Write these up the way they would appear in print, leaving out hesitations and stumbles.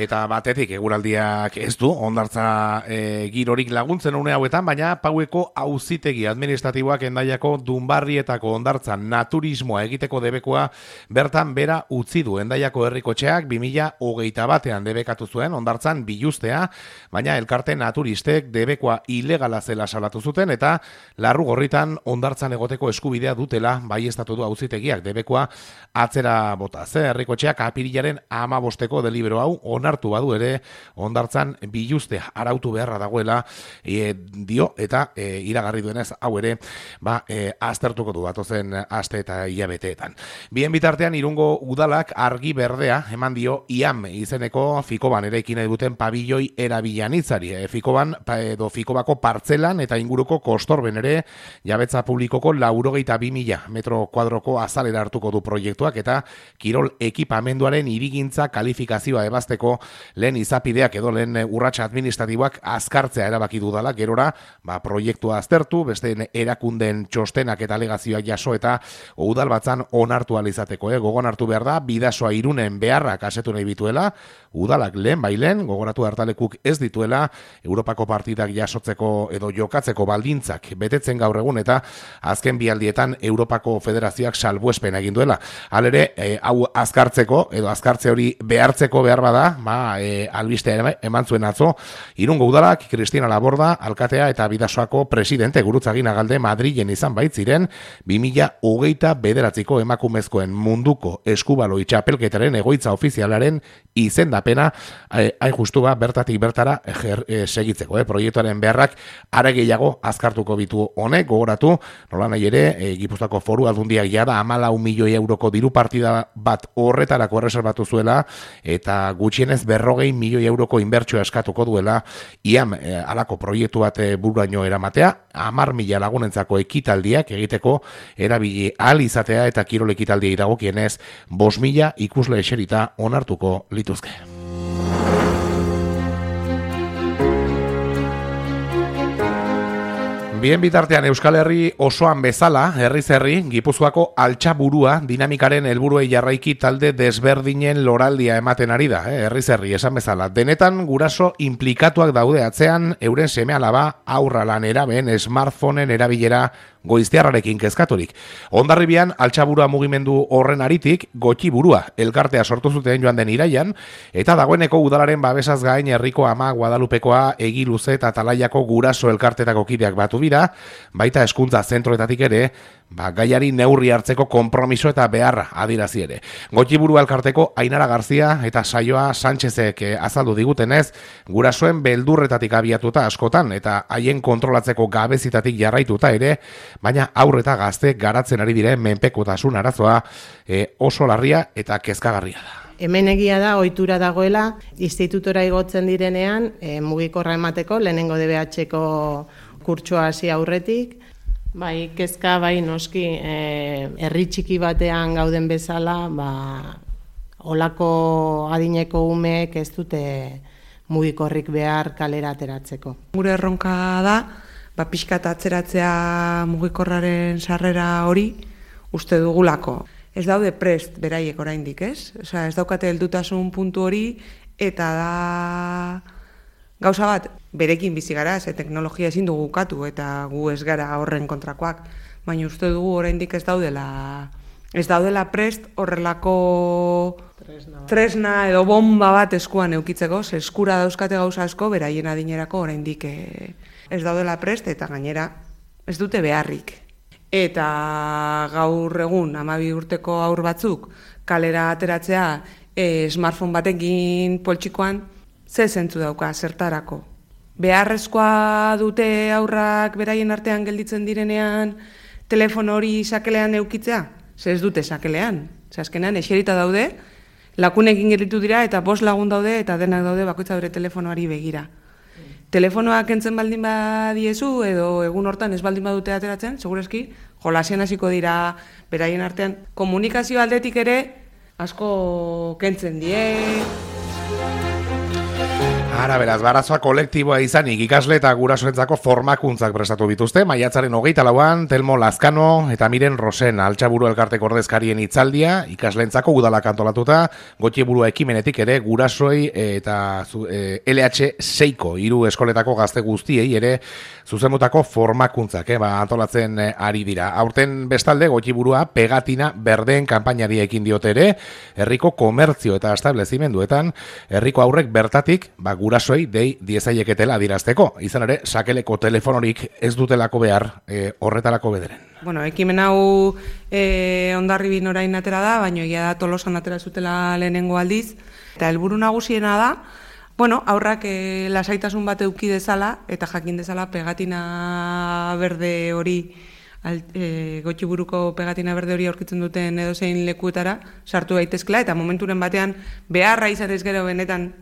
Eta batetik eguraldiak ez du hondartza girorik laguntzen une hauetan, baina Paueko auzitegi administratiboak Hendaiako Dunbarrietako hondartza naturismoa egiteko debekoa bertan bera utzi du. Hendaiako herrikotxeak 2021 debekatu zuen hondartzan biluztea, baina elkarte naturistek debekoa ilegala zela salatu zuten eta Larrugorritan hondartzan egoteko eskubidea dutela baieztatu du auzitegiak debekoa atzera bota. Herrikotxeak apirilaren 15ko delibero hau onartu badu ere hondartzan biluztea arautu beharra dagoela dio eta iragarri duenez hau ere aztertuko du datozen aste eta hilabeteetan. Bien bitartean Irungo udalak argi berdea eman dio IAM izeneko Fikoban eraikin nahi duten pabilloi erabilanitzari. Fikobako partzelan eta inguruko kostorben ere jabetza publikoko 82.000 metro kuadroko azalera hartuko du proiektuak eta kirol ekipamenduaren hirigintza kalifikazioa ebazteko lehen izapideak edo lehen urratsa administratiboak azkartzea erabaki dudala, gerora proiektua aztertu, beste erakunden txostenak eta alegazioak jaso eta udalbatzan onartu alizateko. Gogon hartu behar da, Bidasoa Irunen beharrak asetu nahi bituela, udalak lehen bailen, gogoratu hartalekuk ez dituela, Europako partidak jasotzeko edo jokatzeko baldintzak betetzen gaur egun eta azken bialdietan Europako Federazioak salbuespen egin duela. Halere, hau azkartzeko edo azkartze hori behartzeko behar bada, albistea eman zuen atzo, Irungo udalak Cristina Laborda, alkatea eta Bidasoako presidente Gurutzagin Agalde Madrilen izan baitziren 2029ko emakumezkoen munduko eskubaloi txapelketaren egoitza ofizialaren izendapena hain justu bertatik bertara segitzeko. Proiektuaren beharrak are gehiago azkartuko bitu honek, gogoratu, nola nahi ere, Gipuzkoako Foru Aldundiak jada 14 milioi euroko diru partida bat horretarako erreserbatu zuela eta gutxienez 40 milioi euroko inbertsioa eskatuko duela IAM alako proiektu bat bururaino eramatea, 10.000 lagunentzako ekitaldiak egiteko erabili ahal izatea eta kirol ekitaldiei dagokienez 5.000 ikusle eserita onartuko lituzke. Bien bitartean Euskal Herri osoan bezala, herriz herri, Gipuzkoako altxaburua dinamikaren helburuei jarraiki talde desberdinen loraldia ematen ari da, herriz herri esan bezala. Denetan guraso implikatuak daude atzean, euren seme-alaba aurra lan eraben smartphoneen erabilera goiztiarrarekin kezkaturik. Hondarribian altxaburua mugimendu horren aritik Gotxiburua elkartea sortu zuten joan den iraian eta dagoeneko udalaren babesaz gain herriko Ama Guadalupekoa, Egiluze eta Talaiako guraso elkartetako kideak batu dira, baita hezkuntza zentroetatik ere gaiari neurri hartzeko konpromiso eta beharra adirazi ere. Gotxiburua elkarteko Ainara Garzia eta Saioa Sánchezek azaldu digutenez, gurasoen beldurretatik abiatuta askotan eta haien kontrolatzeko gabezitatik jarraituta ere, baina aurre eta gazte garatzen ari diren menpekotasun arazoa oso larria eta kezkagarria da. Hemen egia da, ohitura dagoela, institutora igotzen direnean, mugikorra emateko, lehenengo DBH-ko kurtsoa hasi aurretik, bai kezka, bai noski, herri txiki batean gauden bezala, olako adineko umeek ez dute mugikorrik behar kalera ateratzeko. Gure erronka da, pixkat atzeratzea mugikorraren sarrera hori uste dugulako. Ez daude prest beraiek oraindik, ez? Osea, ez daukate heldutasun puntu hori eta da gauza bat, berekin bizi gara, ze teknologia ezin dugu ukatu eta gu ez gara horren kontrakoak, baina uste dugu oraindik ez daudela prest horrelako tresna edo bomba bat eskuan eukitzeko, ze eskura dauzkate gauza asko beraien adinerako oraindik ez daudela prest eta gainera ez dute beharrik. Eta gaur egun 12 urteko haur batzuk kalera ateratzea smartphone batekin poltsikoan ze zentzu dauka zertarako. Beharrezkoa dute aurrak beraien artean gelditzen direnean telefono hori sakelean eukitzea? Ze ez dute sakelean. Ze azkenean eserita daude, lakunekin gelditu dira eta 5 lagun daude eta denak daude bakoitza bere telefonoari begira. Telefonoak kentzen baldin badiezu edo egun hortan ez baldin badute ateratzen, segureski jolasian hasiko dira beraien artean. Komunikazio aldetik ere asko kentzen die. Ara beraz, barazoa kolektiboa izanik ikasle eta gurasoentzako formakuntzak prestatu bituzte. Maiatzaren 24an, Telmo Lazkano eta Miren Rosen Altxaburu elkarteko ordezkarien hitzaldia, ikasleentzako udalak antolatuta, Gotxiburu ekimenetik ere gurasoi eta LH6ko 3 eskoletako gazte guztiei ere zuzenutako formakuntzak antolatzen ari dira. Aurten bestalde Gotxiburua pegatina berdeen kanpainari ekin diote ere, herriko komertzio eta establezimenduetan, herriko aurrek bertatik gurasoei dei diezaieketela adirazteko. Izan ere, sakeleko telefonorik ez dutelako behar horretarako bederen. Bueno, ekimen hau Hondarribin orain atera da, baina egia da Tolosan atera zutela lehenengo aldiz. Eta helburu nagusiena da, aurrak lasaitasun bat eduki dezala, eta jakin dezala pegatina berde hori, Gotxiburuko pegatina berde hori aurkitzen duten edozein lekuetara sartu daitezkela, eta momenturen batean beharra izatez gero benetan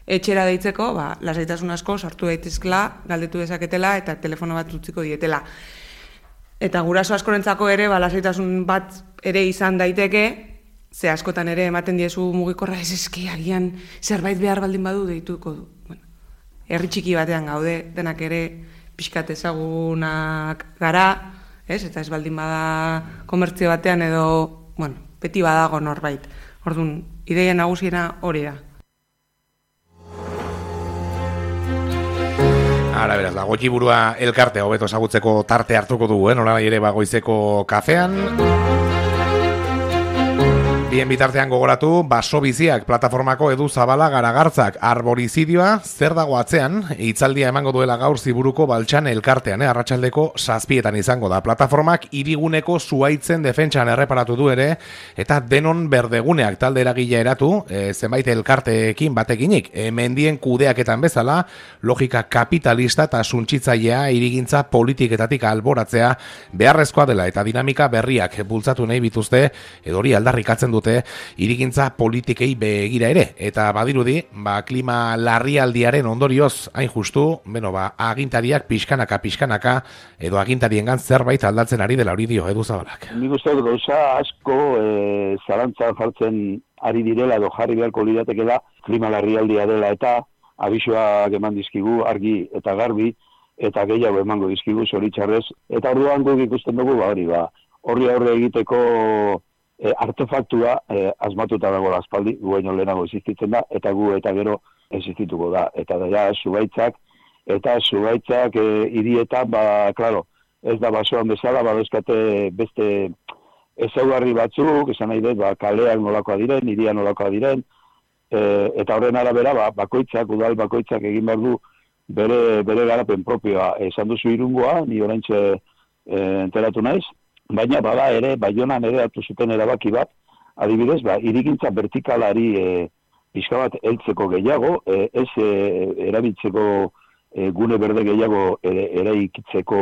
etxera deitzeko, lasaitasun asko sartu daitezkela, galdetu dezaketela eta telefono bat utziko dietela. Eta guraso askorentzako ere, lasaitasun bat ere izan daiteke, ze askotan ere ematen diezu mugikorra agian zerbait behar baldin badu deituko du. Herri txiki batean gaude, denak ere pixkat ezagunak gara, eta ez baldin bada komertzio batean edo, beti badago norbait. Orduan, ideia nagusiena hori da. Ara beraz, Gotxiburua elkartea hobeto ezagutzeko tarte hartuko dugu, nolabait ere goizeko kafean. Bien bitartean gogoratu, Basobiziak plataformako Edu Zabala Garagartzak arborizidioa zer dago atzean, hitzaldia emango duela gaur Ziburuko Baltsan elkartean, arratsaldeko 7etan izango da. Plataformak hiriguneko zuhaitzen defentsan erreparatu du ere, eta denon berdeguneak talde eragilea eratu, zenbait elkarteekin batekinik, mendien kudeaketan bezala, logika kapitalista eta suntsitzailea hirigintza politiketatik alboratzea beharrezkoa dela, eta dinamika berriak bultzatu nahi bituzte, edori aldarrikatzen dute hirigintza politikei begira ere, eta badirudi klima larrialdiaren ondorioz hain justu, agintariak pixkanaka edo agintariengan zerbait aldatzen ari dela hori dio Edu Zabalak. Nik uste dut gauza asko zalantzan jartzen ari direla edo jarri beharko liratekela klima larrialdia dela, eta abisoak eman dizkigu argi eta garbi, eta gehiago emango dizkigu zoritxarrez, eta orduan guk ikusten dugu horri aurre egiteko artefaktua asmatuta dago aspaldi, gu baino lehenago existitzen da, eta gu eta gero existituko da. Eta da, zubaitzak hirietan, klaro, ez da basoan bezala, badezkate beste ezaugarri batzuk, esan nahi dut, kaleak nolakoa diren, hiria nolakoa diren, eta horren arabera, udal bakoitzak egin behar du bere garapen propioa. Esan duzu Irungoa, ni oraintxe enteratu naiz, baina bada ere, Baionan ere hartu zuten erabaki bat, adibidez, hirigintza vertikalari pixka bat heltzeko gehiago, ez erabiltzeko gune berde gehiago eraikitzeko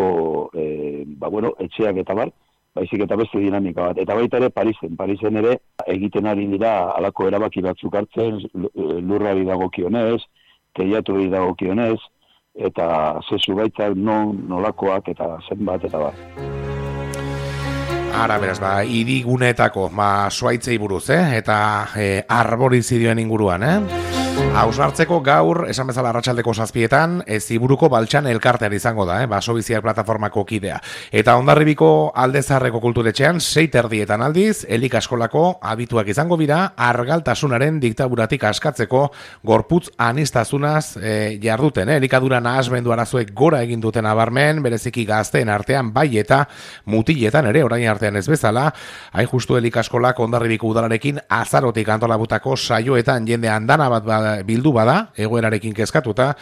etxeak eta bar, baizik eta beste dinamika bat. Eta baita ere Parisen ere egiten ari dira halako erabaki batzuk hartzen, lurrari dagokionez, teiatuari dagokionez, eta zezu baitzak nolakoak eta zenbat eta bar. Ara, beraz, hiriguneetako zuhaitzei buruz, eta arborizidioen inguruan, Hausnartzeko gaur, esan bezala arratsaldeko 7etan, Ziburuko Baltsan elkartean izango da, Basobiziak plataformako kidea. Eta Hondarribiko Aldezarreko kulturetxean, 6:30 aldiz, elikaskolako abituak izango bira, argaltasunaren diktaduratik askatzeko gorputz aniztasunaz jarduten. Elikadura nahasmendu arazoek gora egin duten abarmen, bereziki gazteen artean bai eta mutiletan ere, orain artean ez bezala, hain justu elikaskolak Hondarribiko udalarekin azarotik antolabutako saioetan jende andana bat bildu bada, egoerarekin kezkatuta,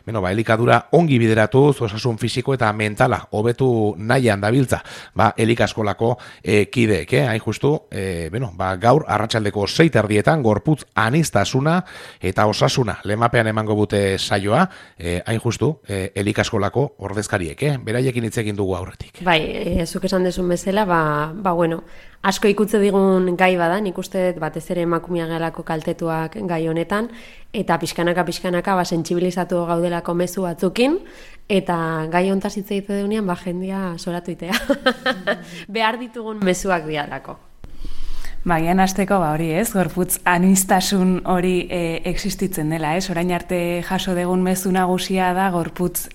elikadura ongi bideratuz, osasun fisiko eta mentala hobetu nahian dabiltza, elikaskolako kideek, hain justu, gaur arratsaldeko 6:30 gorputz aniztasuna eta osasuna lemapean emango bute saioa, hain justu, elikaskolako ordezkariek, beraiekin hitz egin dugu aurretik. Bai, zuk esan dezun bezala, asko ikutze digun gai bada, nik uste batez ere emakumea galako kaltetuak gai honetan, eta pixkanaka sentsibilizatu gaudelako mezu batzukin, eta gai hontaz hitz egite deunean, jendia soratu itea. Behar ditugun mezuak dialako. Bagian hasteko hori gorputz aniztasun hori existitzen dela, orain arte jaso degun mezu nagusia da gorputz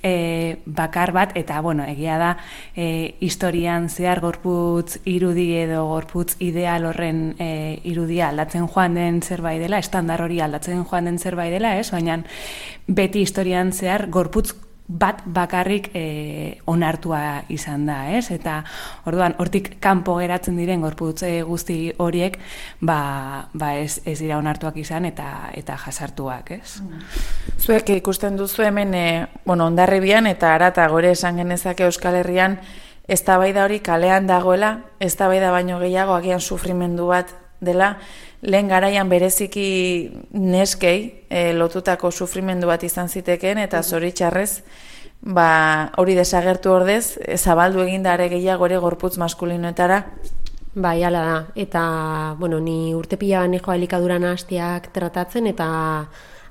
bakar bat, eta egia da historian zehar gorputz irudi edo gorputz ideal horren irudia aldatzen joan den zerbait dela, estandar hori aldatzen joan den zerbait dela, baina beti historian zehar gorputz bat bakarrik onartua izan da, eta orduan hortik kanpo geratzen diren gorputz guzti horiek ez dira onartuak izan eta jasartuak, Zuek ikusten duzu hemen Hondarribian eta harata gore esan genezake Euskal Herrian eztabaida hori kalean dagoela, eztabaida baino gehiago agian sufrimendu bat dela, lehen garaian bereziki neskei lotutako sufrimendu bat izan zitekeen eta zoritxarrez hori desagertu ordez zabaldu egindare gehiago ere gorputz maskulinoetara. Bai, hala da. Eta, ni urte pila banejo elikadura nahastiak tratatzen eta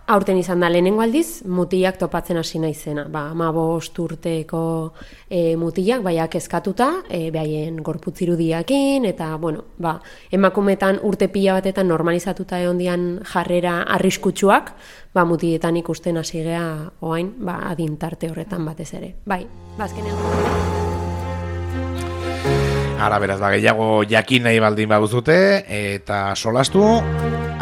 aurten izan da lehenengo aldiz, mutilak topatzen hasi naizena. 15 urteko mutilak, baiak eskatuta, behaien gorputz irudiakin, eta, emakumetan urte pila batetan normalizatuta egon dian jarrera arriskutsuak, mutiletan ikusten hasi gea oain, adintarte horretan batez ere. Bai, bazkenean. Ara beraz, gehiago jakin nahi baldin baduzute, eta solastu,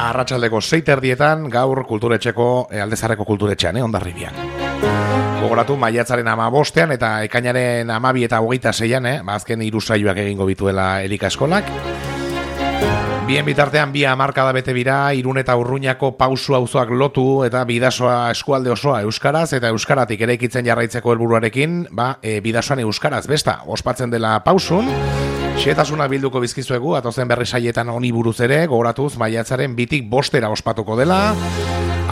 arratsaldeko 6:00 gaur kulturetxeko, Aldezarreko kulturetxean, Hondarribian. Gogoratu, maiatzaren 15 eta ekainaren 12 eta 26, azken 3 saioak egingo bituela Elika Eskolak. Bien bitartean, 2 hamarkada bete bira, Irun eta Urruñako pausu auzoak lotu eta Bidasoa eskualde osoa euskaraz eta euskaratik eraikitzen jarraitzeko helburuarekin, Bidasoan euskaraz besta ospatzen dela pausun. Xetasuna bilduko bizkizuegu, atozen berri saietan honi buruz ere, gogoratuz maiatzaren 2 bostera ospatuko dela.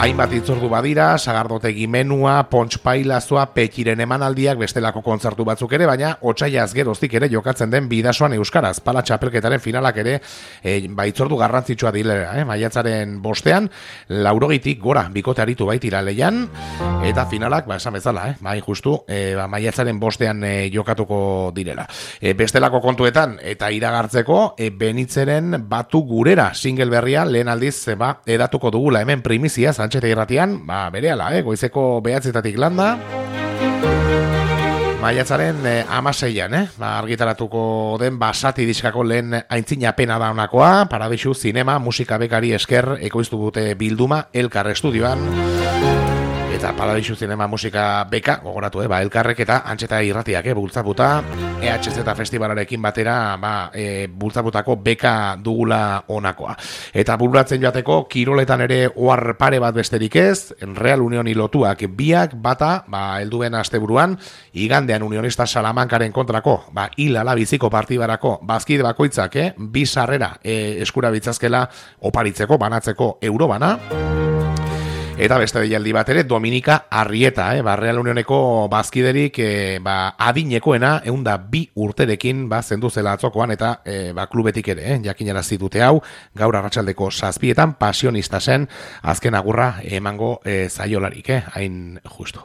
Hainbat itzordu badira, sagardotegi menua, pontxpailazua, petiren emanaldiak, bestelako kontzertu batzuk ere, baina otsaiaz geroztik ere jokatzen den Bidasoan euskaraz. Pala txapelketaren finalak ere, itzordu garrantzitsua dilera, maiatzaren bostean, 80 gora bikote aritu baitira leian, eta finalak, esan bezala, justu, maiatzaren bostean jokatuko direla. Bestelako kontuetan, eta iragartzeko, Benitzeren batu gurera single berria, lehen aldiz, edatuko dugula hemen primizia, Antxeta irratian, berehala, goizeko 9:00 landa. Maiatzaren 16an, argitaratuko den Basati diskako lehen aintzina pena da honakoa, Paradisu Zinema musika bekari esker ekoiztu dute bilduma Elkar estudioan. Eta Paradisu Zinema musika beka, gogoratu, Elkarrek eta Antxeta irratiak bultzaputa, EHZ Festivalarekin batera bultzaputako beka dugula honakoa. Eta bururatzen joateko, kiroletan ere ohar pare bat besterik ez, Real Unioni lotuak biak, bata, helduen asteburuan, igandean Unionista Salamankaren kontrako, hilala biziko partibarako, bazkide bakoitzak, 2 sarrera eskura bitzazkela oparitzeko, banatzeko eurobana. Eta beste deialdi bat ere, Dominika Arrieta, Real Unioneko bazkiderik adinekoena, 102 urterekin zendu zela atzokoan, eta klubetik ere, jakinara zitute hau, gaur arratsaldeko 7:00 pasionista zen, azken agurra emango zaiolarik, hain justu.